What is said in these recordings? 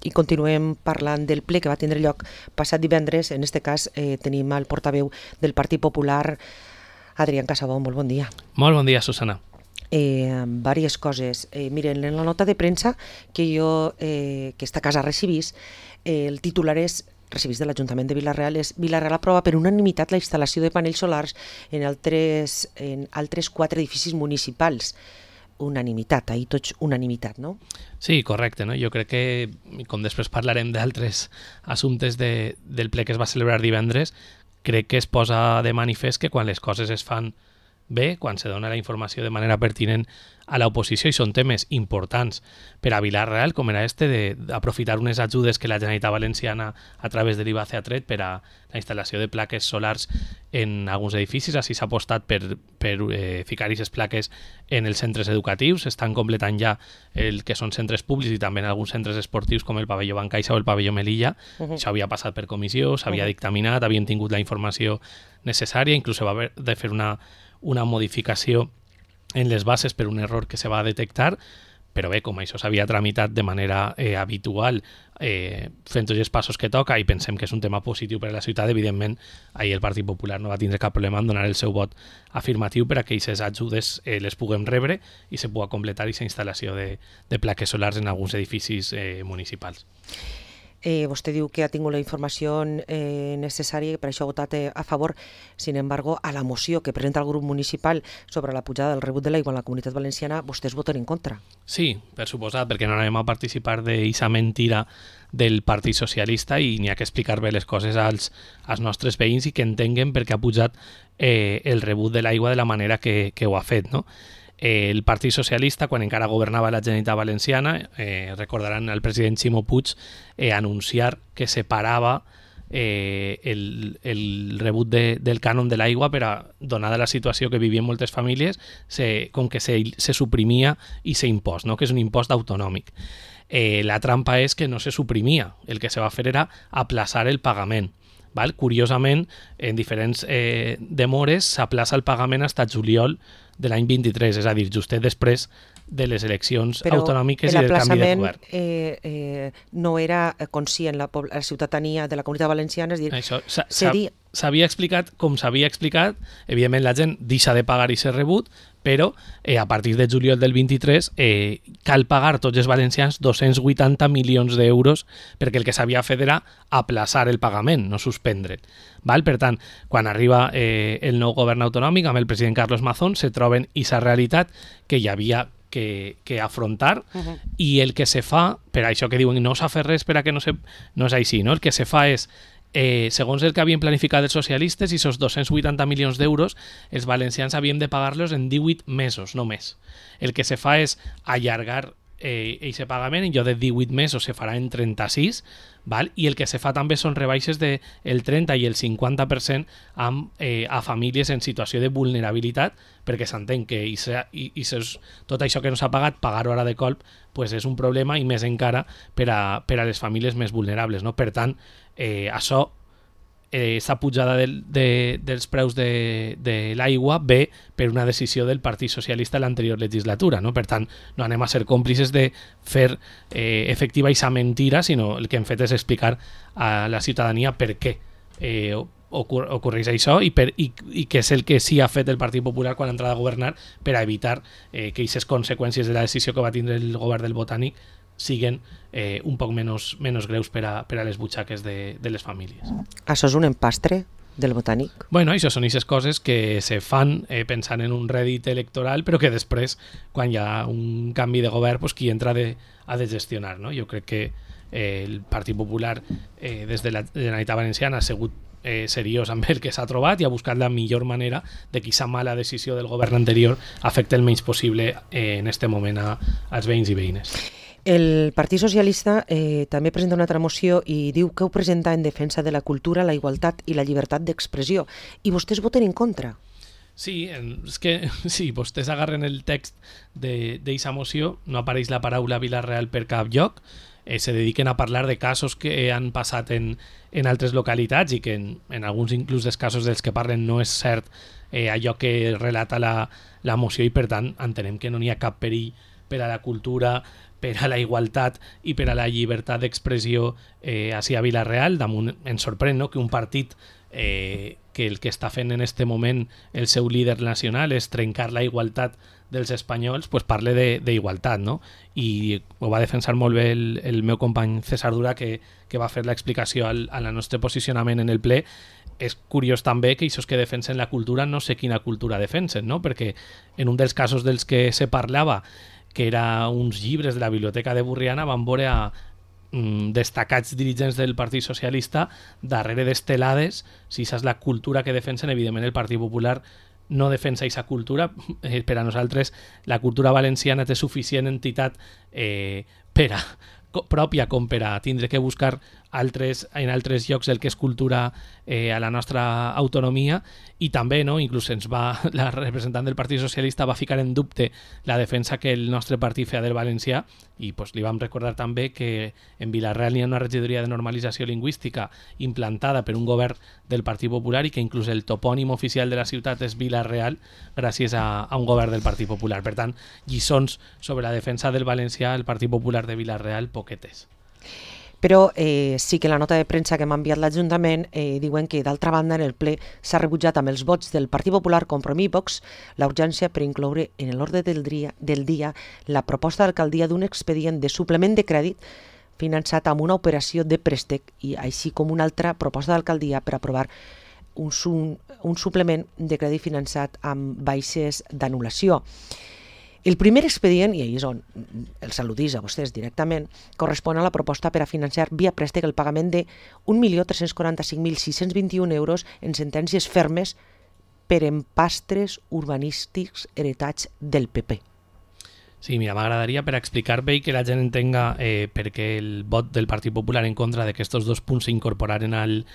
I continuem parlant del ple que va tindre lloc passat divendres. En este cas tenim el portaveu del Partit Popular, Adrián Casabó. Molt bon dia. Molt bon dia, Susana. Vàries coses. Miren, en la nota de premsa que jo, que esta casa recibís, el titular és recibís de l'Ajuntament de Vila-real, és Vila-real aprova per unanimitat la instal·lació de panells solars en altres 4 edificis municipals. Unanimitat, ahir tots unanimitat, no? Sí, correcte, no? Jo crec que, com després parlarem d'altres assumptes del ple que es va celebrar divendres, crec que es posa de manifest que quan les coses es fan bé, quan se dona la informació de manera pertinent a l'oposició i són temes importants per a Vila-real, com era d'aprofitar unes ajudes que la Generalitat Valenciana a través de l'IVACE ha tret per a la instal·lació de plaques solars en alguns edificis. Així s'ha apostat per ficar aquestes plaques en els centres educatius. Estan completant ja el que són centres públics i també en alguns centres esportius com el pavelló Bancaixa o el pavelló Melilla. Això havia passat per comissió, s'havia dictaminat, havien tingut la informació necessària, inclús va haver de fer una modificació en les bases per un error que se va detectar, però bé, com això s'havia tramitat de manera habitual, fent tots els passos que toca, i pensem que és un tema positiu per a la ciutat, evidentment, ahir el Partit Popular no va tindre cap problema en donar el seu vot afirmatiu per a que aquestes ajudes les puguem rebre i se pugui completar aquesta instal·lació de plaques solars en alguns edificis municipals. Vostè diu que ha tingut la informació necessària i per això ha votat a favor. Sin embargo, a la moció que presenta el grup municipal sobre la pujada del rebut de l'aigua en la Comunitat Valenciana, vostès voten en contra. Sí, per suposat, perquè no anem a participar d'aquesta mentira del Partit Socialista i n'hi ha que explicar bé les coses als nostres veïns i que entenguen per què ha pujat el rebut de l'aigua de la manera que ho ha fet, no? El Partit Socialista, quan encara governava la Generalitat Valenciana, recordaran el president Ximo Puig anunciar que separava el rebut del cànon de l'aigua per a, donada la situació que vivien moltes famílies, com que se suprimia i s'impost, no? Que és un impost autonòmic. La trampa és que no se suprimia, el que se va fer era aplaçar el pagament. Val? Curiosament, en diferents demores s'aplaça el pagament fins a juliol de l'any 23, és a dir, justet després de les eleccions autonòmiques i del canvi de govern. Però l'aplaçament no era conscient la ciutadania de la Comunitat Valenciana, és a dir, això s'havia explicat com s'havia explicat, evidentment la gent deixa de pagar i ser rebut, però a partir de juliol del 23 cal pagar tots els valencians 280 milions d'euros perquè el que s'havia fet era aplaçar el pagament, no suspendre'l. Per tant, quan arriba el nou govern autonòmic amb el president Carlos Mazón, se troben aquesta realitat que hi havia que afrontar i el que se fa, per això que diuen no s'ha fet res per a que no és així, no? El que se fa és segons el que havien planificat els socialistes, i aquests 280 milions d'euros els valencians havíem de pagar-los en 18 mesos només. El que se fa és allargar aquest pagament, en lloc de 18 mesos se farà en 36, val? I el que se fa també són rebaixes del 30 i el 50% a famílies en situació de vulnerabilitat, perquè s'entén que tot això que no s'ha pagat, pagar-ho ara de colp, pues és un problema, i més encara per a les famílies més vulnerables, no? Per tant, això, aquesta pujada dels preus de l'aigua ve per una decisió del Partit Socialista en l'anterior legislatura, no? Per tant, no anem a ser còmplices de fer efectiva aquesta mentira, sinó el que hem fet és explicar a la ciutadania per què ocorreix això i què és el que sí ha fet el Partit Popular quan ha entrat a governar per a evitar que aquestes conseqüències de la decisió que va tindre el govern del Botànic siguen un poc menys greus per a les butxaques de les famílies. Això és un empastre del Botànic? Bueno, això són aquestes coses que se fan pensant en un rèdit electoral, però que després, quan hi ha un canvi de govern, pues, qui entra ha de gestionar, no? Jo crec que el Partit Popular des de la Generalitat Valenciana ha sigut seriós amb el que s'ha trobat i ha buscat la millor manera de que aquesta mala decisió del govern anterior afecti el menys possible en aquest moment als veïns i veïnes. El Partit Socialista també presenta una altra moció i diu que ho presenta en defensa de la cultura, la igualtat i la llibertat d'expressió. I vostès voten en contra. Sí, és que si vostès agarren el text d'aquesta moció, no apareix la paraula Vila-real per cap lloc, se dediquen a parlar de casos que han passat en altres localitats i que en alguns inclús dels casos dels que parlen no és cert allò que relata la moció, i per tant entenem que no n'hi ha cap perill per a la cultura, per a la igualtat i per a la llibertat d'expressió ací a Vila-real. Damunt ens sorprèn, no?, que un partit que el que està fent en este moment el seu líder nacional és trencar la igualtat dels espanyols, pues parle d'igualtat, no? I ho va defensar molt bé el meu company César Dura, que va fer l'explicació al nostre posicionament en el ple. És curiós també que aquests que defensen la cultura no sé quina cultura defensen, no? Perquè en un dels casos dels que se parlava, que era uns llibres de la Biblioteca de Burriana, van veure a destacats dirigents del Partit Socialista darrere d'estelades. Si això és la cultura que defensen, evidentment el Partit Popular no defensa aquesta cultura. Per a nosaltres la cultura valenciana té suficient entitat pròpia com per a tindre que buscar en altres llocs el que és cultura a la nostra autonomia. I també, no, inclús la representant del Partit Socialista va ficar en dubte la defensa que el nostre partit feia del valencià, i pues, li vam recordar també que en Vila-real hi ha una regidoria de normalització lingüística implantada per un govern del Partit Popular i que inclús el topònim oficial de la ciutat és Vila-real gràcies a un govern del Partit Popular. Per tant, lliçons sobre la defensa del valencià al Partit Popular de Vila-real poquetes. Però sí que la nota de premsa que m'ha enviat l'Ajuntament diuen que, d'altra banda, en el ple s'ha rebutjat amb els vots del Partit Popular, Compromís i Vox la urgència per incloure en l'ordre del dia la proposta d'alcaldia d'un expedient de suplement de crèdit finançat amb una operació de préstec i així com una altra proposta d'alcaldia per aprovar un suplement de crèdit finançat amb baixes d'anul·lació. El primer expedient, i ahí és on els al·ludís a vostès directament, correspon a la proposta per a financiar via préstec el pagament de 1.345.621 euros en sentències fermes per empastres urbanístics heretats del PP. Sí, mira, m'agradaria per explicar bé i que la gent entenga per què el vot del Partit Popular en contra de que estos dos punts s'incorporaren al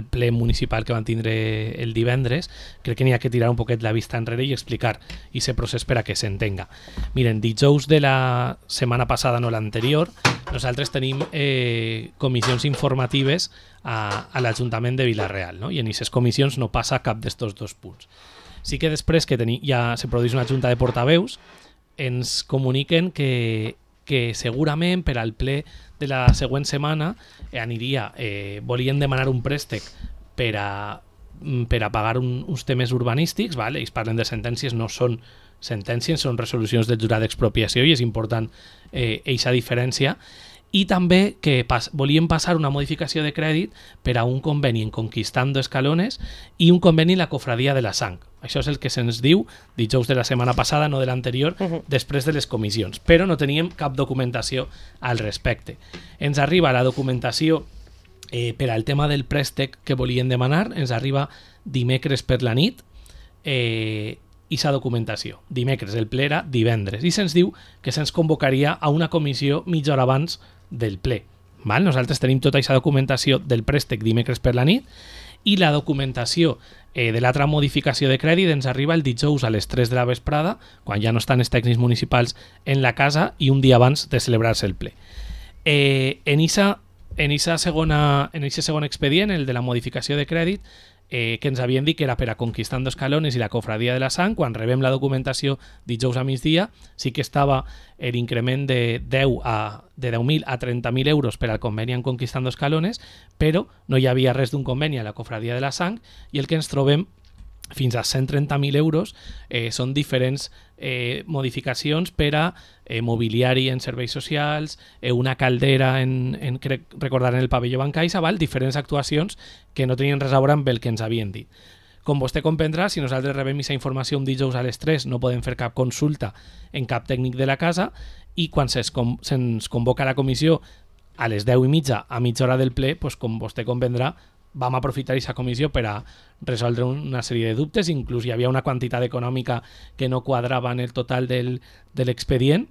ple municipal que van tindre el divendres. Crec que n'hi ha que tirar un poquet la vista enrere i explicar aquest procés per a que s'entenga. Miren, dijous de la setmana passada, no l'anterior, nosaltres tenim comissions informatives a l'Ajuntament de Vila-real, no? I en aquestes comissions no passa cap d'estos dos punts. Sí que després que ja se produeix una junta de portaveus, ens comuniquen que segurament per al ple de la següent setmana volien demanar un préstec per a pagar uns temes urbanístics, vale? Ells parlen de sentències, no són sentències, són resolucions del jurat d'expropiació i és important eixa diferència. I també que volien passar una modificació de crèdit per a un conveni en Conquistando Escalones i un conveni en la Cofradia de la Sang. Això és el que se'ns diu dijous de la setmana passada, no de l'anterior, després de les comissions. Però no teníem cap documentació al respecte. Ens arriba la documentació per al tema del préstec que volien demanar, ens arriba dimecres per la nit, i sa documentació. Dimecres, el ple era divendres, i se'ns diu que se'ns convocaria a una comissió mitja hora abans del ple. Val? Nosaltres tenim tota aquesta documentació del préstec dimecres per la nit i la documentació de l'altra modificació de crèdit ens arriba el dijous a les 3 de la vesprada, quan ja no estan els tècnics municipals en la casa i un dia abans de celebrar-se el ple. En aquest segon expedient, el de la modificació de crèdit, que ens havien dit que era per a Conquistando Escalones i la Cofradia de la Sang, quan rebem la documentació dijous a migdia, sí que estava l'increment de 10.000 a 30.000 euros per al conveni en Conquistando Escalones, però no hi havia res d'un conveni a la Cofradia de la Sang, i el que ens trobem fins a 130.000 euros són diferents modificacions per a mobiliari en serveis socials, una caldera crec recordar en el pavelló Bancaixa, diferents actuacions que no tenien res a veure amb el que ens havien dit. Com vostè comprendrà, si nosaltres rebem aquesta informació un dijous a les 3 no podem fer cap consulta en cap tècnic de la casa, i quan se'ns convoca a la comissió a les 10:30 a mitja hora del ple, doncs, com vostè comprendrà, vam aprofitar aquesta comissió per a resoldre una sèrie de dubtes. Inclús hi havia una quantitat econòmica que no quadrava en el total de l'expedient.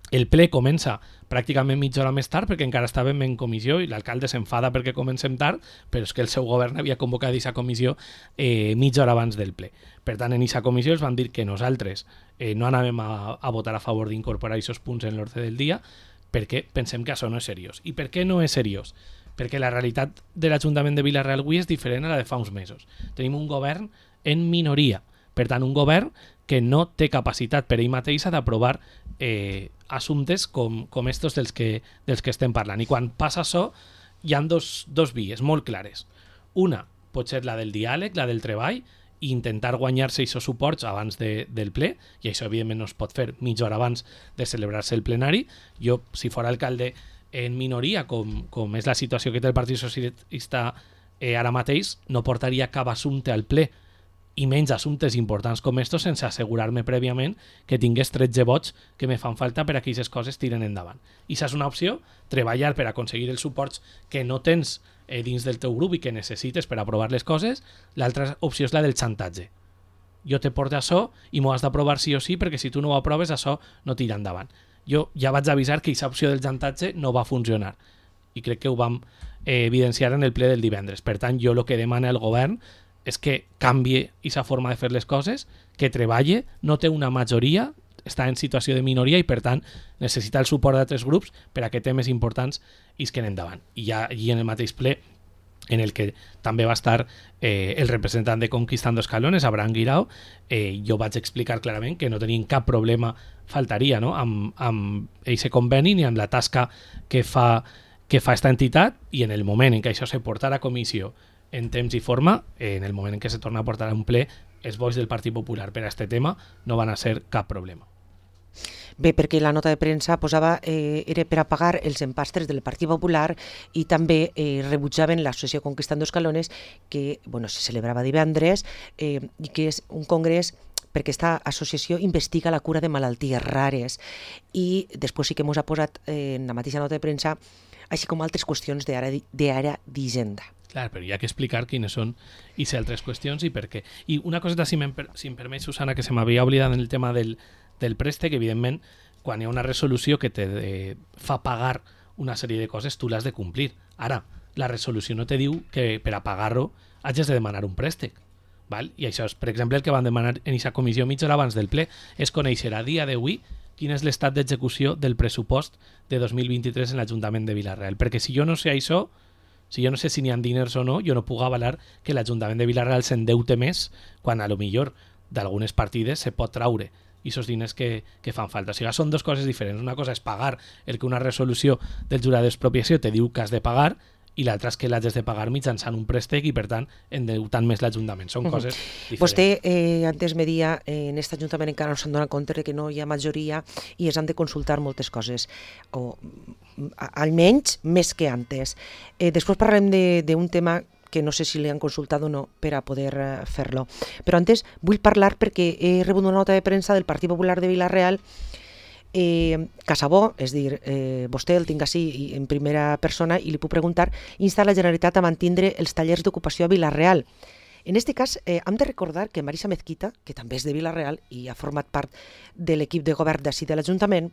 El ple comença pràcticament mitja hora més tard perquè encara estàvem en comissió i l'alcalde s'enfada perquè comencem tard, però és que el seu govern havia convocat aquesta comissió mitja hora abans del ple. Per tant, en aquesta comissió els van dir que nosaltres no anàvem a votar a favor d'incorporar aquests punts en l'ordre del dia perquè pensem que això no és seriós. I per què no és seriós? Perquè la realitat de l'Ajuntament de Vila-real avui és diferent a la de fa uns mesos. Tenim un govern en minoria, per tant un govern que no té capacitat per ell mateixa d'aprovar assumptes com estos dels que estem parlant. I quan passa això, hi ha dos vies molt clares. Una pot ser la del diàleg, la del treball, i intentar guanyar-se aquests suports abans del ple, i això evidentment no es pot fer mitja hora abans de celebrar-se el plenari. Jo, si fora alcalde en minoria, com és la situació que té el Partit Socialista ara mateix, no portaria cap assumpte al ple, i menys assumptes importants com estos, sense assegurar-me prèviament que tingués 13 vots que me fan falta per a que aquestes coses tiren endavant. I això és una opció, treballar per aconseguir els suports que no tens dins del teu grup i que necessites per aprovar les coses. L'altra opció és la del xantatge. Jo te porto això i m'ho has d'aprovar sí o sí, perquè si tu no ho aproves, això no tira endavant. Jo ja vaig avisar que aquesta opció del xantatge no va funcionar, i crec que ho vam evidenciar en el ple del divendres. Per tant, jo el que demana el govern és que canvie aquesta forma de fer les coses, que treballe, no té una majoria, està en situació de minoria i per tant necessita el suport d'altres grups per a que temes importants isquen endavant. I ja allí en el mateix ple, en el que també va estar el representant de Conquistando Escalones, Abraham Guirao, jo vaig explicar clarament que no tenien cap problema, faltaria, no?, amb aquest conveni ni amb la tasca que fa esta entitat, i en el moment en què això se portarà a comissió en temps i forma, en el moment en què se torna a portar a un ple, els vots del Partit Popular per a aquest tema no van a ser cap problema. Bé, perquè la nota de premsa posava era per a pagar els empastres del Partit Popular, i també rebutjaven l'associació Conquistando Escalones, que se celebrava divendres, i que és un congrés perquè aquesta associació investiga la cura de malalties rares, i després sí que ens ha posat en la mateixa nota de premsa, així com altres qüestions d'àrea d'Hisenda. Clar, però hi ha que explicar quines són i altres qüestions i per què. I una coseta, si em permet, Susana, que se m'havia oblidat en el tema del préstec, evidentment, quan hi ha una resolució que te fa pagar una sèrie de coses, tu l'has de complir. Ara, la resolució no te diu que per a pagar-ho hagis de demanar un préstec. Val? I això és, per exemple, el que van demanar en aquesta comissió mitja hora abans del ple, és conèixer a dia d'avui quin és l'estat d'execució del pressupost de 2023 en l'Ajuntament de Vila-real. Perquè si jo no sé això, si jo no sé si n'hi ha diners o no, jo no puc avalar que l'Ajuntament de Vila-real s'endeute més quan a lo millor d'algunes partides se pot traure i aquests diners que fan falta. O sigui, són dues coses diferents. Una cosa és pagar el que una resolució del jurat d'expropiació te diu que has de pagar, i l'altra és que l'has de pagar mitjançant un préstec i, per tant, endeutant més l'Ajuntament. Són coses diferents. Vostè antes me dia en aquest Ajuntament encara no s'han donat compte que no hi ha majoria i es han de consultar moltes coses, o almenys més que antes. Després parlarem d'un tema que no sé si li han consultat o no per a poder fer-lo. Però antes vull parlar perquè he rebut una nota de premsa del Partit Popular de Vila-real. Casabó, és dir, vostè el tinc així en primera persona i li puc preguntar, insta la Generalitat a mantindre els tallers d'ocupació a Vila-real. En aquest cas, hem de recordar que Marisa Mezquita, que també és de Vila-real i ha format part de l'equip de govern d'ací de l'Ajuntament,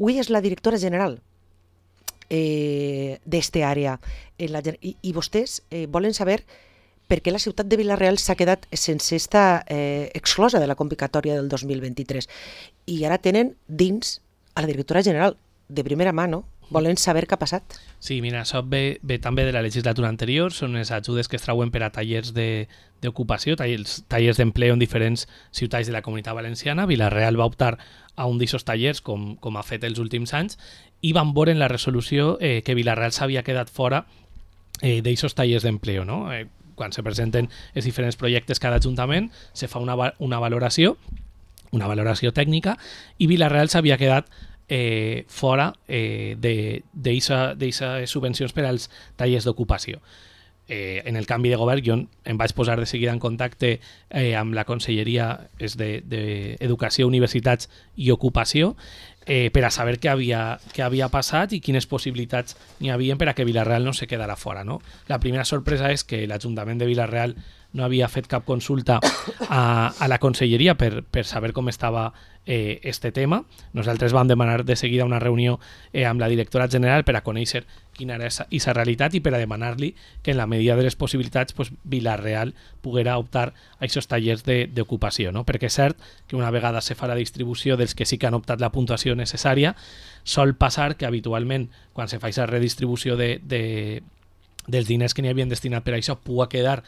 avui és la directora general d'esta àrea. I vostès volen saber per què la ciutat de Vila-real s'ha quedat sense estar exclosa de la convocatòria del 2023. I ara tenen dins a la directora general de primera mà, no? Volen saber què ha passat. Sí, mira, això ve també de la legislatura anterior, són les ajudes que es trauen per a tallers d'ocupació, tallers d'empleo en diferents ciutats de la Comunitat Valenciana. Vila-real va optar a un d'aquests tallers, com ha fet els últims anys, i van veure en la resolució que Vila-real s'havia quedat fora d'aquests tallers d'empleo, no? Quan se presenten els diferents projectes cada ajuntament, se fa una valoració tècnica, i Vila-real s'havia quedat fora d'aquestes subvencions per als tallers d'ocupació. En el canvi de govern jo em vaig posar de seguida en contacte amb la Conselleria d'Educació, Universitats i Ocupació per a saber què havia passat i quines possibilitats n'hi havia per a que Vila-real no se quedara fora, no? La primera sorpresa és que l'Ajuntament de Vila-real no havia fet cap consulta a la Conselleria per saber com estava este tema. Nosaltres vam demanar de seguida una reunió amb la directora general per a conèixer quina era aquesta realitat i per a demanar-li que en la medida de les possibilitats Vila-real poguera optar a aquests tallers d'ocupació, no? Perquè és cert que una vegada se fa la distribució dels que sí que han optat la puntuació necessària, sol passar que habitualment quan se fa aquesta redistribució dels diners que n'hi havien destinat per a això pugui quedar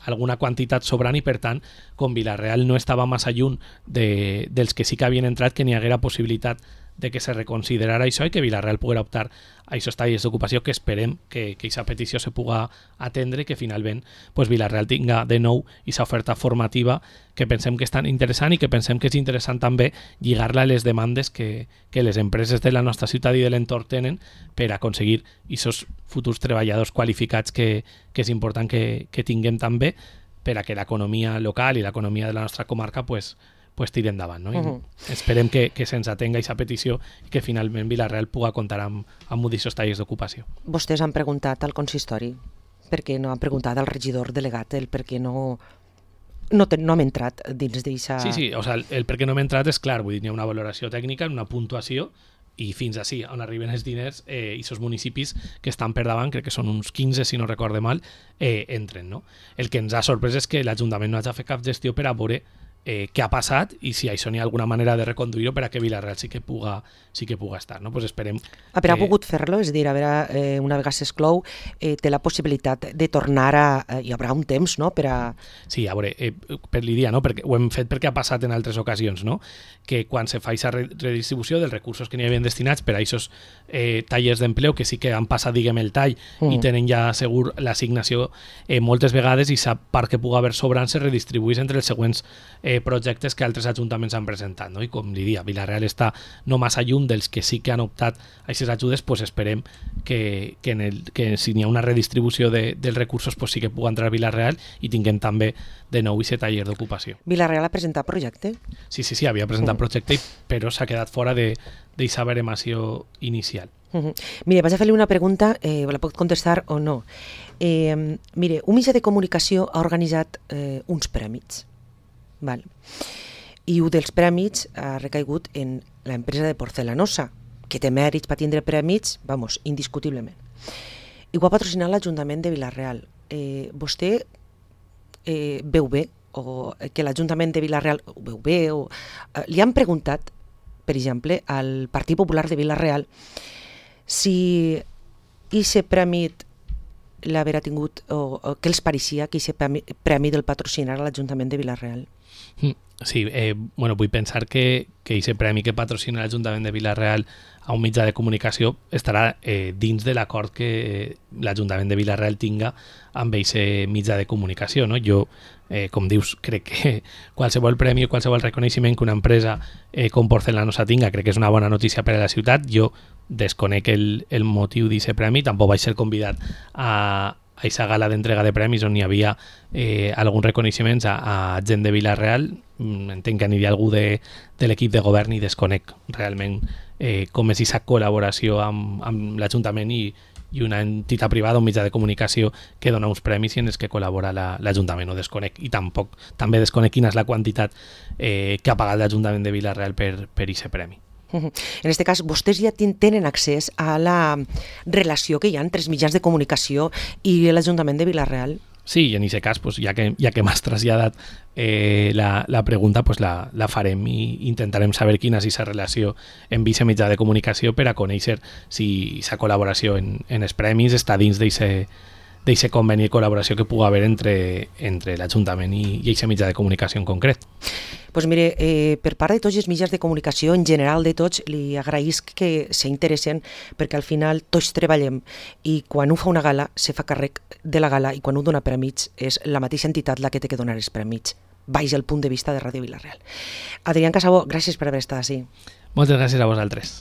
alguna quantitat sobrant i per tant, com Vila-real no estava massa lluny dels que sí que havien entrat, que n'hi haguera possibilitat de que se reconsiderara això i que Vila-real poguera optar a aquests talls d'ocupació, que esperem que aquesta petició se puga atendre i que finalment pues, Vila-real tinga de nou aquesta oferta formativa que pensem que és tan interessant i que pensem que és interessant també lligar-la a les demandes que les empreses de la nostra ciutat i de l'entorn tenen per aconseguir aquests futurs treballadors qualificats que és important que tinguem també per a que l'economia local i l'economia de la nostra comarca pues tiri endavant. No? Esperem que se'ns atenga aquesta petició i que finalment Vila-real pugui comptar amb aquests talls d'ocupació. Vostès han preguntat al consistori per què no han preguntat al regidor delegat el per què no hem entrat dins d'eixa... Sí, o sea, el per què no hem entrat és clar, vull dir, hi ha una valoració tècnica, una puntuació i fins així, on arriben els diners i els municipis que estan per davant, crec que són uns 15 si no recorde mal, entren. No? El que ens ha sorprès és que l'Ajuntament no hagi fet cap gestió per a veure què ha passat i si això n'hi ha alguna manera de reconduir-ho per a que Vila-real sí que puga estar. No? Pues esperem... Però ha pogut fer-lo? És a dir, una vegada s'exclou, té la possibilitat de tornar hi haurà un temps, no?, per a... Sí, a veure, per l'idea, no? Perquè ho hem fet perquè ha passat en altres ocasions, no? Que quan se fa aquesta redistribució dels recursos que n'hi havien destinats per a aquests tallers d'empleo, que sí que han passat, diguem, el tall i tenen ja segur l'assignació moltes vegades i sap part que pugui haver sobrant se redistribuís entre els següents projectes que altres ajuntaments han presentat, no? I com li dia, Vila-real està no massa lluny dels que sí que han optat a aquestes ajudes, pues esperem que si n'hi ha una redistribució dels recursos pues sí que pugui entrar a Vila-real i tinguem també de nou aquest taller d'ocupació. Vila-real ha presentat projecte? Sí, havia presentat projecte, però s'ha quedat fora d'aquesta baremació inicial. Mire, vaig a fer-li una pregunta, la pot contestar o no. Mire, un mitjà de comunicació ha organitzat uns prèmits. Val. I un dels prèmits ha recaigut en l'empresa de porcelanosa, que té mèrits per tindre prèmits, vamos, indiscutiblement. I ho ha patrocinat l'Ajuntament de Vila-real. Vostè veu bé, o que l'Ajuntament de Vila-real ho veu bé, o li han preguntat, per exemple, al Partit Popular de Vila-real si aquest prèmit l'haver tingut, o què els pareixia que aquest prèmit del patrocinar a l'Ajuntament de Vila-real. Sí, vull pensar que aquest premi que patrocina l'Ajuntament de Vila-real a un mitjà de comunicació estarà dins de l'acord que l'Ajuntament de Vila-real tinga amb aquest mitjà de comunicació. No? Jo, com dius, crec que qualsevol premi o qualsevol reconeixement que una empresa com Porcelanosa tinga, crec que és una bona notícia per a la ciutat. Jo desconec el motiu d'aquest premi, tampoc vaig ser convidat a aquesta gala d'entrega de premis on hi havia alguns reconeixements a gent de Vila-real. Entenc que aniria algú de l'equip de govern i desconec realment com és aquesta col·laboració amb l'Ajuntament i una entitat privada, un mitjà de comunicació que dona uns premis i en els que col·labora l'Ajuntament. Ho desconec i també desconec quina és la quantitat que ha pagat l'Ajuntament de Vila-real per aquest premi. En aquest cas, vostès ja tenen accés a la relació que hi ha entre els mitjans de comunicació i l'Ajuntament de Vila-real? Sí, i en aquest cas, pues, ja que m'has traslladat la pregunta, pues, la farem i intentarem saber quina és aquesta relació amb aquest mitjà de comunicació per a conèixer si aquesta col·laboració en els premis està dins d'aquest conveni de col·laboració que pugui haver entre l'Ajuntament i aquest mitjà de comunicació en concret. Pues mire, per part de tots els mitjans de comunicació, en general de tots, li agraïsc que s'interessen perquè al final tots treballem i quan un fa una gala se fa càrrec de la gala i quan un dona prèmits és la mateixa entitat la que té que donar els prèmits, baix el punt de vista de Ràdio Vila-real. Adrián Casabó, gràcies per haver estat així. Moltes gràcies a vosaltres.